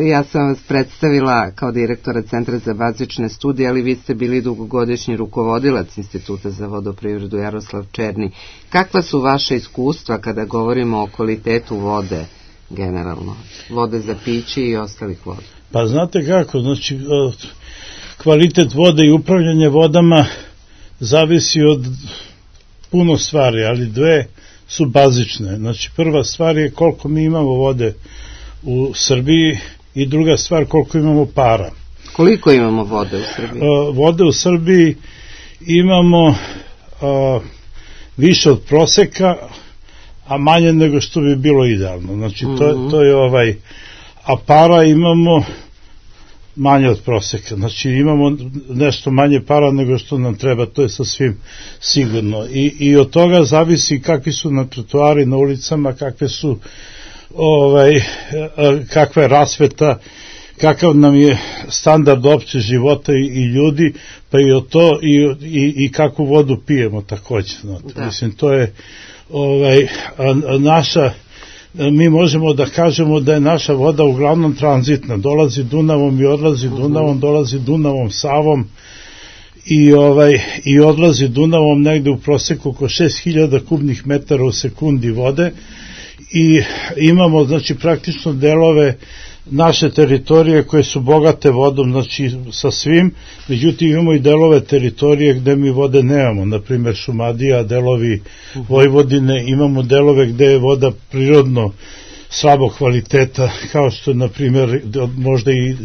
B: ja sam vas predstavila kao direktora Centra za bazične studije, ali vi ste bili dugogodišnji rukovodilac Instituta za vodoprivredu Jaroslav Černi. Kakva su vaše iskustva kada govorimo o kvalitetu vode generalno? Vode za piće i ostalih voda?
S: Pa znate kako, znači kvalitet vode i upravljanje vodama zavisi od puno stvari, ali dve su bazične. Znači prva stvar je koliko mi imamo vode u Srbiji i druga stvar koliko imamo para.
B: Koliko imamo vode u Srbiji?
S: Vode u Srbiji imamo više od proseka, a manje nego što bi bilo idealno. Znači to je a para imamo manje od proseka. Znači imamo nešto manje para nego što nam treba, to je sasvim sigurno. I od toga zavisi kakvi su na trotoari, na ulicama, kakva je rasveta, kakav nam je standard opće života i ljudi, pa i od to i kakvu vodu pijemo takođe. Mislim, to je naša. Mi možemo da kažemo da je naša voda uglavnom tranzitna, dolazi Dunavom i odlazi Dunavom, dolazi Dunavom, Savom i odlazi Dunavom negde u proseku oko 6000 kubnih metara u sekundi vode i imamo znači praktično delove naše teritorije koje su bogate vodom, znači sa svim, međutim imamo i delove teritorije gde mi vode nemamo, na primjer Šumadija, delovi Vojvodine, imamo delove gde je voda prirodno slabog kvaliteta, kao što je na primjer možda i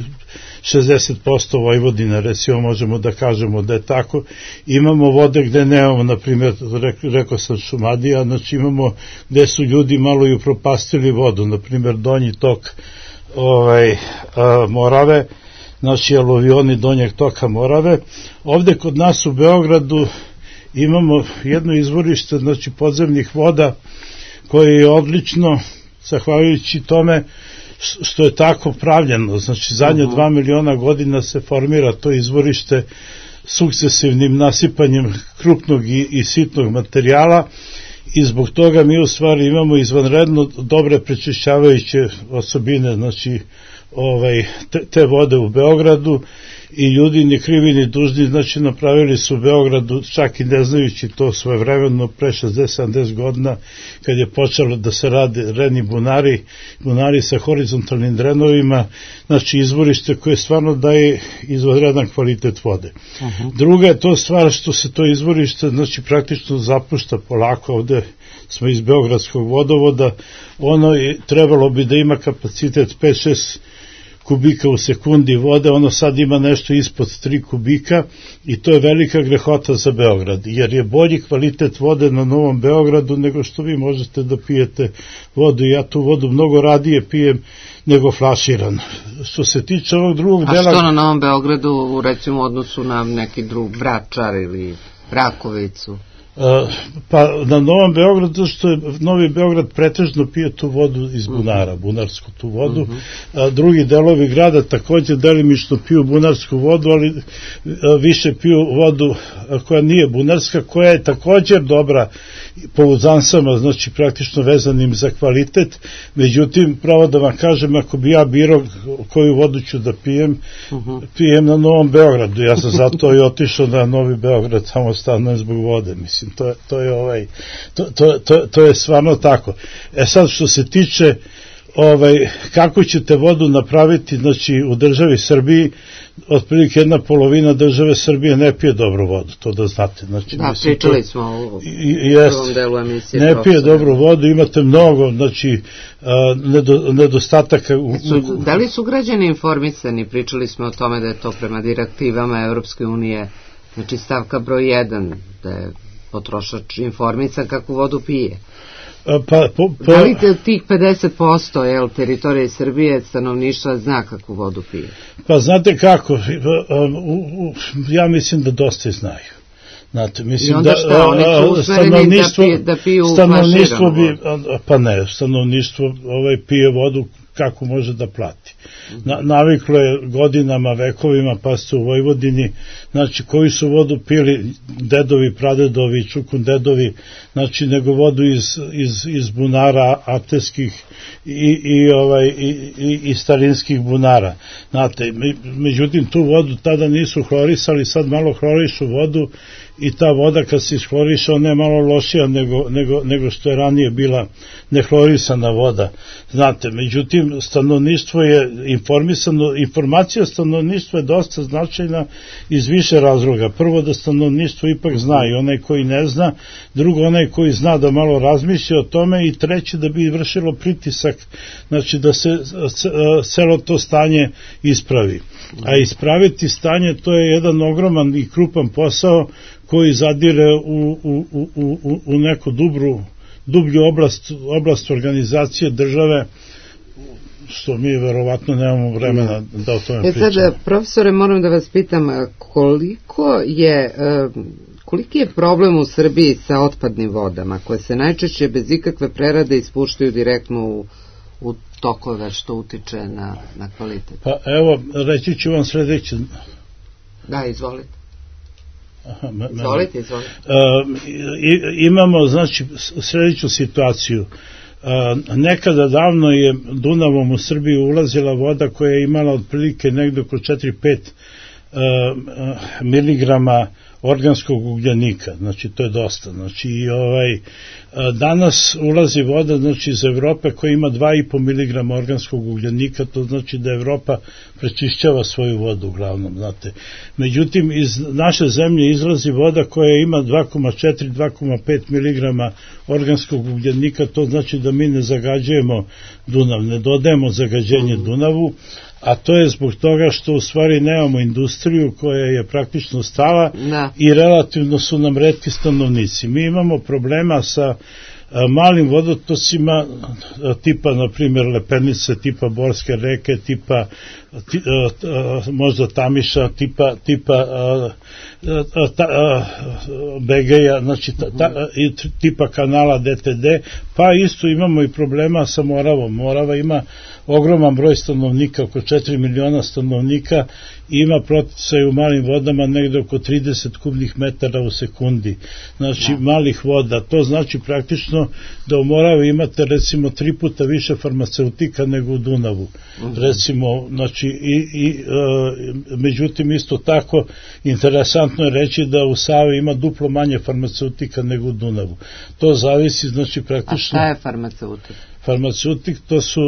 S: 60% Vojvodine, recimo možemo da kažemo da je tako. Imamo vode gde nemamo, na primjer, rekao sam Šumadija, znači imamo gde su ljudi malo i upropastili vodu, na primjer donji tok Morave, znači aluvioni donjeg toka Morave. Ovde kod nas u Beogradu imamo jedno izvorište, znači podzemnih voda, koje je odlično, zahvaljujući tome što je tako pravljeno, znači zadnje 2 miliona godina se formira to izvorište sukcesivnim nasipanjem krupnog i sitnog materijala i zbog toga mi u stvari imamo izvanredno dobre prečišćavajuće osobine, znači te vode u Beogradu i ljudi ni krivi ni dužni, znači napravili su u Beogradu, čak i ne znajući to svojevremeno pre 60-70 godina kad je počelo da se rade reni bunari sa horizontalnim drenovima, znači izvorište koje stvarno daje izvanredan kvalitet vode. Druga je to stvar što se to izvorište znači praktično zapušta polako, ovde smo iz Beogradskog vodovoda, ono je, trebalo bi da ima kapacitet 5-6 kubika u sekundi vode, ono sad ima nešto ispod 3 kubika i to je velika grehota za Beograd, jer je bolji kvalitet vode na Novom Beogradu nego što vi možete da pijete vodu. Ja tu vodu mnogo radije pijem nego flaširano. Što se tiče ovog drugog dela...
B: A što na Novom Beogradu, recimo, u odnosu na neki drug Vračar ili Rakovicu?
S: Pa na Novom Beogradu, što je Novi Beograd pretežno pije tu vodu iz bunara, bunarsku tu vodu, drugi delovi grada takođe delimično piju bunarsku vodu, ali više piju vodu koja nije bunarska, koja je također dobra po uzansama, znači praktično vezanim za kvalitet. Međutim, pravo da vam kažem, ako bi ja birao koju vodu ću da pijem na Novom Beogradu. Ja sam zato i otišao na Novi Beograd, samo stanujem zbog vode, mislim. To je stvarno tako. Sad što se tiče kako ćete vodu napraviti, znači u državi Srbiji otprilike 1/2 države Srbije ne pije dobru vodu, to da znate. Znači,
B: da, pričali smo u prvom delu emisije.
S: Ne pije dobru vodu, imate mnogo, znači, nedostataka.
B: Da li su građani informisani? Pričali smo o tome da je to prema direktivama Evropske unije, znači stavka broj 1, da je potrošač informisan kako vodu pije. Da li tih 50% teritorije Srbije stanovništva zna kako vodu pije?
S: Pa znate kako, ja mislim da dosta znaju. Znate, mislim
B: i onda šta, oni su usmereni da piju
S: stanovništvo bi, pa ne, stanovništvo pije vodu kako može da plati. Naviklo je godinama, vekovima, pa ste u Vojvodini, znači koji su vodu pili dedovi, pradedovi, čukundedovi, znači nego vodu iz bunara ateskih i starinskih bunara. Znate, međutim tu vodu tada nisu hlorisali, sad malo hlorišu vodu i ta voda kad se ishloriša ona je malo lošija nego što je ranije bila nehlorisana voda. Znate, međutim stanovništvo je informisano, informacija stanovništva je dosta značajna iz više razloga. Prvo da stanovništvo ipak zna i onaj koji ne zna, drugo onaj koji zna da malo razmišlja o tome i treće da bi vršilo pritisak, znači da se celo to stanje ispravi. A ispraviti stanje to je jedan ogroman i krupan posao koji zadire u neku dublju oblast organizacije države, što mi verovatno nemamo vremena da o tome pričamo.
B: Sad, profesore, moram da vas pitam, koliki je problem u Srbiji sa otpadnim vodama, koje se najčešće bez ikakve prerade ispuštaju direktno u tokove, što utiče na kvalitet?
S: Pa evo, reći ću vam sledeće.
B: Da, izvolite. Izvolite.
S: Imamo, znači, sledeću situaciju. Nekada davno je Dunavom u Srbiji ulazila voda koja je imala otprilike negde oko 4-5 miligrama organskog ugljenika, znači to je dosta. Znači danas ulazi voda, znači iz Evrope koja ima 2,5 miligrama organskog ugljenika, to znači da Evropa prečišćava svoju vodu uglavnom, znate. Međutim, iz naše zemlje izlazi voda koja ima 2,4-2,5 miligrama organskog ugljenika, to znači da mi ne zagađujemo Dunav, ne dodajemo zagađenje Dunavu, a to je zbog toga što u stvari nemamo industriju koja je praktično stala i relativno su nam retki stanovnici. Mi imamo problema sa malim vodotocima tipa, na primjer, Lepenice, tipa Borske reke, tipa možda Tamiša, tipa Begeja, znači tipa kanala DTD, pa isto imamo i problema sa Moravom. Morava ima ogroman broj stanovnika, oko 4 miliona stanovnika, i ima proticaj u malim vodama negde oko 30 kubnih metara u sekundi, znači malih voda. To znači praktično da u Moravi imate recimo 3 puta više farmaceutika nego u Dunavu, recimo, znači međutim isto tako interesantno je reći da u Savi ima duplo manje farmaceutika nego u Dunavu. To zavisi, znači praktično...
B: A šta je farmaceutik?
S: Farmaceutik to su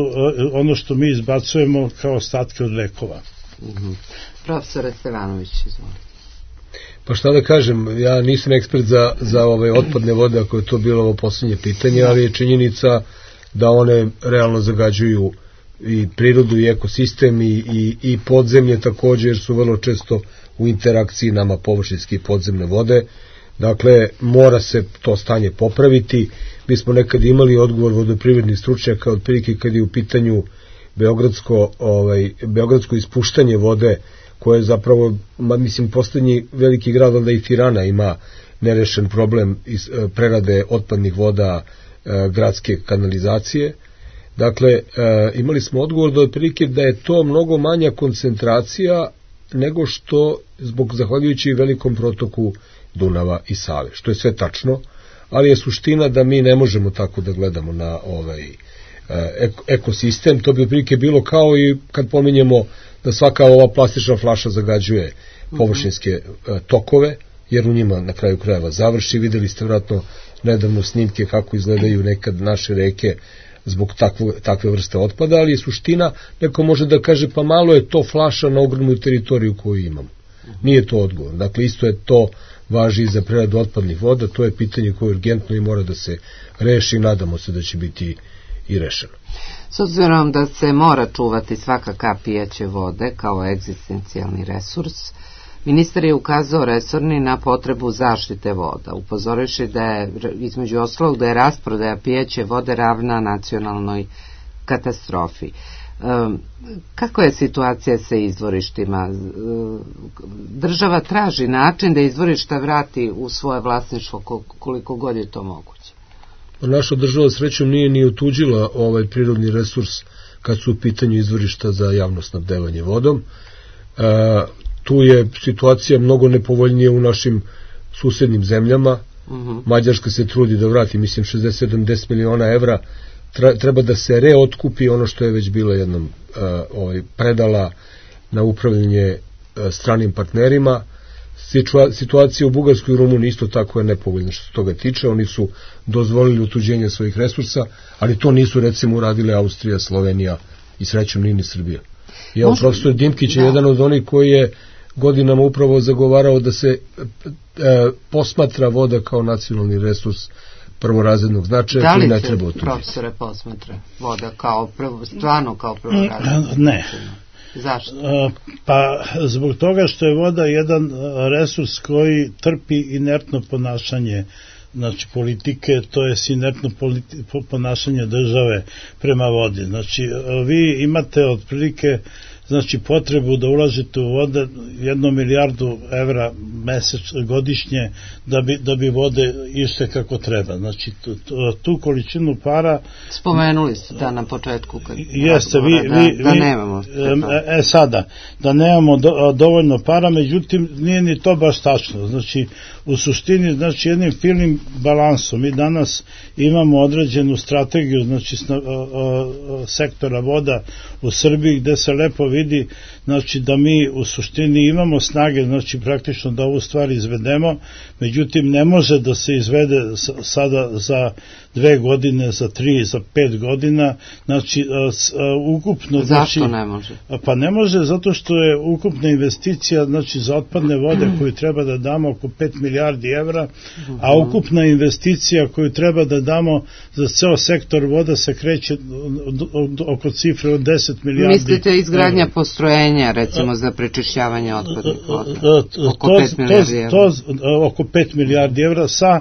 S: ono što mi izbacujemo kao ostatke od lekova.
B: Profesore Stevanović, izvolite.
C: Pa šta da kažem, ja nisam ekspert za ove otpadne vode, ako je to bilo ovo posljednje pitanje, ali je činjenica da one realno zagađuju i prirodu i ekosistem i podzemlje također, jer su vrlo često u interakciji nama površinske i podzemne vode. Dakle, mora se to stanje popraviti. Mi smo nekad imali odgovor vodoprivrednih stručnjaka, otprilike kad je u pitanju beogradsko ispuštanje vode, koje je zapravo, mislim, poslednji veliki grad, onda i Tirana ima nerešen problem prerade otpadnih voda gradske kanalizacije. Dakle, imali smo odgovor da otprilike da je to mnogo manja koncentracija nego što zahvaljujući velikom protoku Dunava i Save, što je sve tačno, ali je suština da mi ne možemo tako da gledamo na ekosistem. To bi otprilike bilo kao i kad pominjemo da svaka ova plastična flaša zagađuje površinske tokove, jer u njima na kraju krajeva završi. Videli ste vjerojatno nedavno snimke kako izgledaju nekad naše reke zbog takve vrste otpada, ali je suština, neko može da kaže pa malo je to flaša na ogromnu teritoriju koju imamo. Nije to odgovor. Dakle, isto je to važi i za preradu otpadnih voda, to je pitanje koje urgentno i mora da se reši i nadamo se da će biti i rešeno.
B: S obzirom da se mora čuvati svaka kap pijeće vode kao egzistencijalni resurs, ministar je ukazao resorni na potrebu zaštite voda, upozorivši da je, između ostalog, da je rasprodaja pijeće vode ravna nacionalnoj katastrofi. Kako je situacija sa izvorištima? Država traži način da izvorišta vrati u svoje vlasništvo koliko god je to moguće.
C: Naša država srećom nije ni otuđila ovaj prirodni resurs kad su u pitanju izvorišta za javno snabdevanje vodom. Tu je situacija mnogo nepovoljnija u našim susednim zemljama. Mađarska se trudi da vrati, mislim, 60-70 miliona evra. Treba da se reotkupi ono što je već bila jednom predala na upravljanje stranim partnerima. Situacija u Bugarskoj i Rumuniji isto tako je nepovoljna što se toga tiče. Oni su dozvolili otuđenje svojih resursa, ali to nisu recimo uradile Austrija, Slovenija i srećom ni Srbija. Profesor Dimkić je jedan od onih koji je godinama upravo zagovarao da se posmatra voda kao nacionalni resurs prvorazrednog značaja koji ne treba otuđiti.
B: Da li se, profesore, posmatra voda kao stvarno kao prvorazrednog?
S: Ne.
B: Zašto?
S: Pa zbog toga što je voda jedan resurs koji trpi inertno ponašanje, znači politike, to je inertno ponašanje države prema vodi. Znači vi imate otprilike potrebu da ulažete u vode 1 milijardu evra godišnje da bi vode išle kako treba. Znači tu količinu para...
B: Spomenuli ste da na početku
S: jeste,
B: da nemamo.
S: Sada, da nemamo dovoljno para, međutim nije ni to baš tačno. Znači u suštini, znači jednim finim balansom mi danas imamo određenu strategiju, znači sektora voda u Srbiji gde se lepo vidi, znači da mi u suštini imamo snage, znači praktično da ovu stvar izvedemo, međutim ne može da se izvede sada za 2 godine, za 3, za 5 godina, znači ukupno...
B: Zašto ne može?
S: Pa ne može zato što je ukupna investicija, znači za otpadne vode koju treba da damo oko 5 milijardi evra, a ukupna investicija koju treba da damo za ceo sektor voda se kreće oko cifre od 10 milijardi.
B: Mislite izgradnja postrojenja, recimo za prečišćavanje otpadnih voda? Oko 5 milijardi evra.
S: Oko 5 milijardi evra sa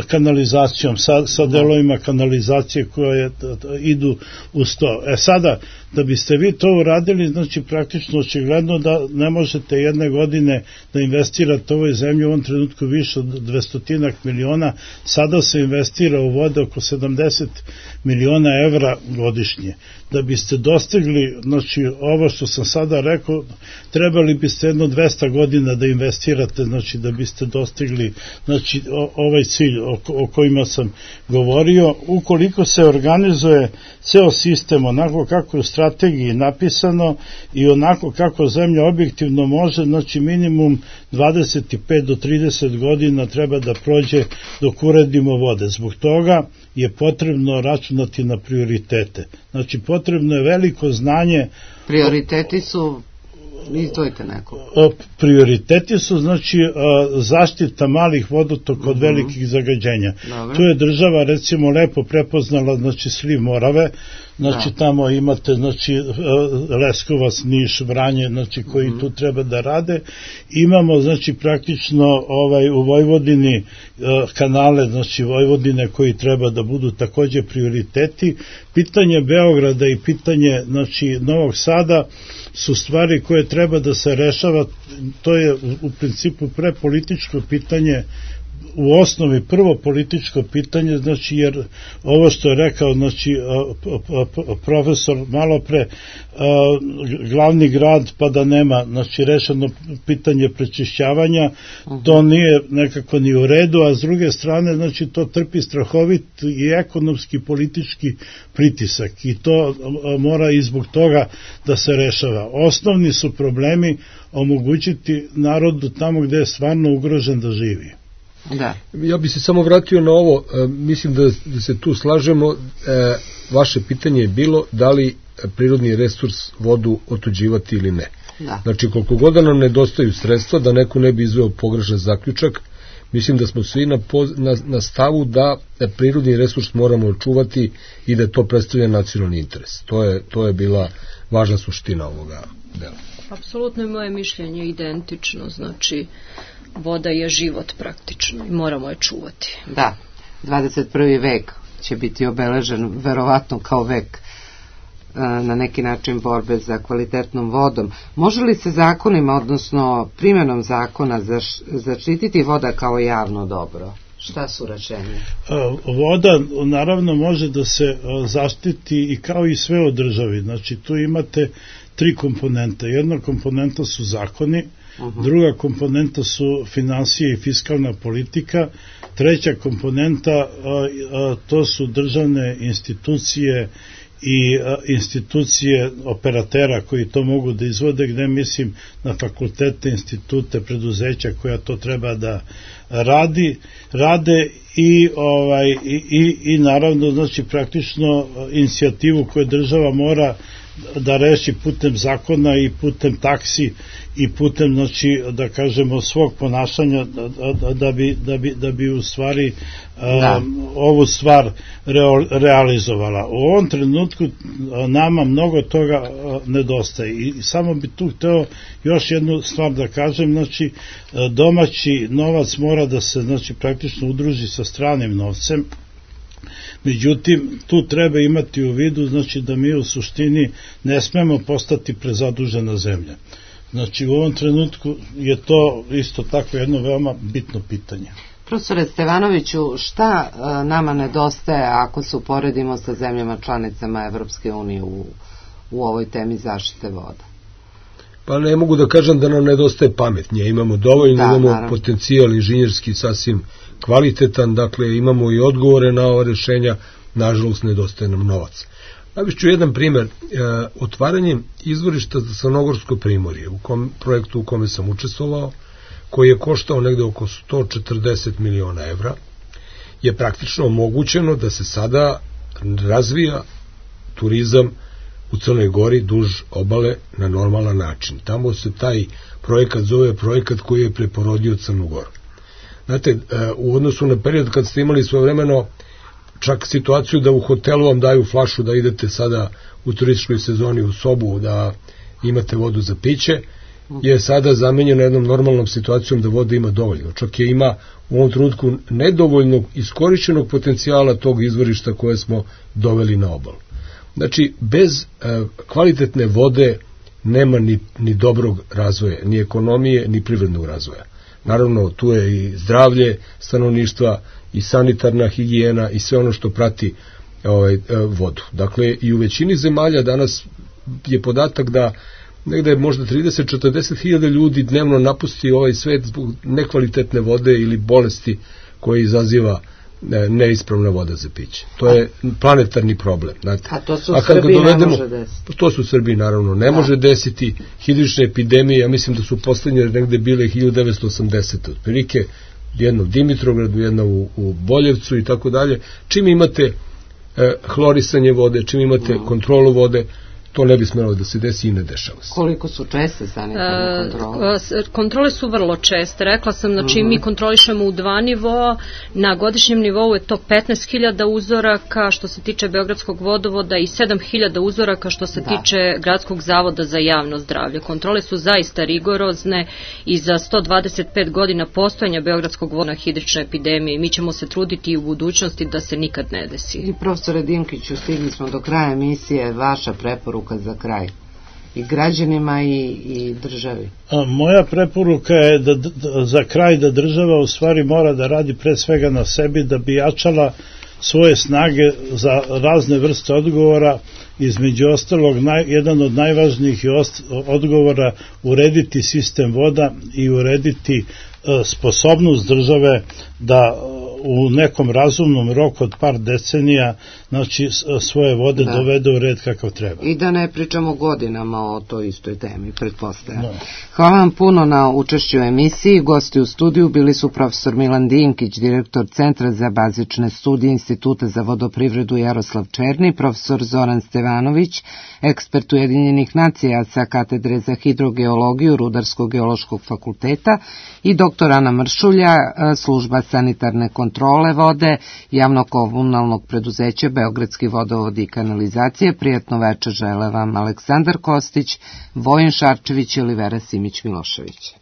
S: kanalizacijom, sa delovima kanalizacije koje idu uz to. Sada, da biste vi to uradili, znači praktično očigledno da ne možete jedne godine da investirate u ovoj zemlji u ovom trenutku više od 200 miliona, sada se investira u vode oko 70 miliona evra godišnje. Da biste dostigli, znači ovo što sam sada rekao, trebali biste jedno 200 godina da investirate, znači da biste dostigli, znači ovaj cilj o kojima sam govorio. Ukoliko se organizuje ceo sistem onako kako je u strategiji napisano i onako kako zemlja objektivno može, znači minimum 25 do 30 godina treba da prođe dok uredimo vode. Zbog toga je potrebno računati na prioritete. Znači potrebno je veliko znanje.
B: Prioriteti su, izdvojite neko.
S: Prioriteti su, znači, zaštita malih vodotoka od velikih zagađenja. Tu je država, recimo, lepo prepoznala, znači, sliv Morave, znači, tamo imate, znači, Leskovac, Niš, Vranje, znači, koji tu treba da rade. Imamo, znači, praktično u Vojvodini kanale, znači, Vojvodine koji treba da budu takođe prioriteti. Pitanje Beograda i pitanje, znači, Novog Sada su stvari koje treba da se rešava, to je u principu prepolitičko pitanje, u osnovi prvo političko pitanje, znači jer ovo što je rekao, znači profesor malo pre, glavni grad pa da nema, znači rešeno pitanje prečišćavanja, to nije nekako ni u redu, a s druge strane, znači to trpi strahovit i ekonomski politički pritisak i to mora i zbog toga da se rešava. Osnovni su problemi omogućiti narodu tamo gde je stvarno ugrožen da živi.
B: Da.
C: Ja bi se samo vratio na ovo, mislim da se tu slažemo, vaše pitanje je bilo da li prirodni resurs vodu otuđivati ili ne.
B: Da.
C: Znači, koliko god nam nedostaju sredstva, da neko ne bi izveo pogrešan zaključak, mislim da smo svi na stavu da prirodni resurs moramo očuvati i da to predstavlja nacionalni interes. To je bila važna suština ovoga dela.
D: Apsolutno je moje mišljenje identično, znači voda je život praktično i moramo je čuvati.
B: Da, 21. vek će biti obeležen verovatno kao vek na neki način borbe za kvalitetnom vodom. Može li se zakonima, odnosno primjenom zakona, zaštititi voda kao javno dobro? Šta su rečenje?
S: Voda naravno može da se zaštiti i kao i sve od državi. Znači tu imate 3 komponente. Jedna komponenta su zakoni, druga komponenta su finansije i fiskalna politika, treća komponenta to su državne institucije i institucije operatera koji to mogu da izvode, gde mislim na fakultete, institute, preduzeća koja to treba da rade i naravno znači praktično inicijativu koju država mora da reši putem zakona i putem taksi i putem, znači, da kažemo, svog ponašanja da bi u stvari ovu stvar realizovala. U ovom trenutku nama mnogo toga nedostaje i samo bi tu hteo još jednu stvar da kažem, znači domaći novac mora da se, znači, praktično udruži sa stranim novcem. Međutim, tu treba imati u vidu, znači, da mi u suštini ne smemo postati prezadužena zemlja. Znači, u ovom trenutku je to isto tako jedno veoma bitno pitanje.
B: Profesore Stevanoviću, šta nama nedostaje ako se uporedimo sa zemljama članicama Evropske unije u ovoj temi zaštite voda?
C: Pa ne mogu da kažem da nam nedostaje pamet. Nje imamo dovoljno, imamo potencijal inženjerski sasvim kvalitetan, dakle imamo i odgovore na ova rešenja, nažalost nedostaje nam novac. Navišću jedan primjer, otvaranjem izvorišta za Crnogorsko primorje, u projektu u kome sam učestvovao, koji je koštao negde oko 140 miliona evra, je praktično omogućeno da se sada razvija turizam u Crnoj Gori duž obale na normalan način. Tamo se taj projekat zove projekat koji je preporodio Crnu Goru. Znate, u odnosu na period kad ste imali svojevremeno čak situaciju da u hotelu vam daju flašu da idete sada u turističkoj sezoni u sobu da imate vodu za piće, je sada zamenjeno jednom normalnom situacijom da voda ima dovoljno. Čak je ima u ovom trenutku nedovoljnog iskorišćenog potencijala tog izvorišta koje smo doveli na obalu. Znači, bez kvalitetne vode nema ni dobrog razvoja, ni ekonomije, ni privrednog razvoja. Naravno, tu je i zdravlje stanovništva, i sanitarna higijena, i sve ono što prati vodu. Dakle, i u većini zemalja danas je podatak da negde možda 30-40 hiljada ljudi dnevno napusti ovaj svet zbog nekvalitetne vode ili bolesti koje izaziva neispravna voda za piće. To je planetarni problem. Znate.
B: A to su u Srbiji ne može desiti.
C: To su u Srbiji naravno ne može desiti. Hidrične epidemije, ja mislim da su poslednje negde bile 1980. Otprilike, jedna u Dimitrovgradu, jedna u Boljevcu i tako dalje. Čim imate hlorisanje vode, čim imate kontrolu vode, to ne bi smelo da se desi i ne dešava se.
B: Koliko su česte sanitarne kontrole?
D: Kontrole su vrlo česte. Rekla sam, znači mi kontrolišemo u 2 nivoa. Na godišnjem nivou je to 15.000 uzoraka što se tiče Beogradskog vodovoda i 7.000 uzoraka što se tiče Gradskog zavoda za javno zdravlje. Kontrole su zaista rigorozne i za 125 godina postojanja Beogradskog voda hidrične epidemije. Mi ćemo se truditi i u budućnosti da se nikad ne desi.
B: I profesore Dimkiću, stigli smo do kraja emisije, vaša preporuka za kraj i građanima i državi.
S: Moja preporuka je za kraj da država u stvari mora da radi pre svega na sebi da bi jačala svoje snage za razne vrste odgovora, između ostalog jedan od najvažnijih odgovora urediti sistem voda i urediti sposobnost države da u nekom razumnom roku od par decenija znači svoje vode dovede u red kakav treba.
B: I da ne pričamo godinama o toj istoj temi, pretpostavljam. Hvala vam puno na učešću u emisiji. Gosti u studiju bili su profesor Milan Dinkić, direktor Centra za bazične studije Instituta za vodoprivredu Jaroslav Černi, profesor Zoran Stevanović, ekspert Ujedinjenih nacija sa katedre za hidrogeologiju Rudarsko-geološkog fakulteta i doktor Ana Mršulja, služba sanitarne kontrole vode javno-komunalnog preduzeća Beogradski vodovod i kanalizacije. Prijatno večer žele vam Aleksandar Kostić, Vojin Šarčević i Olivera Simić-Milošević.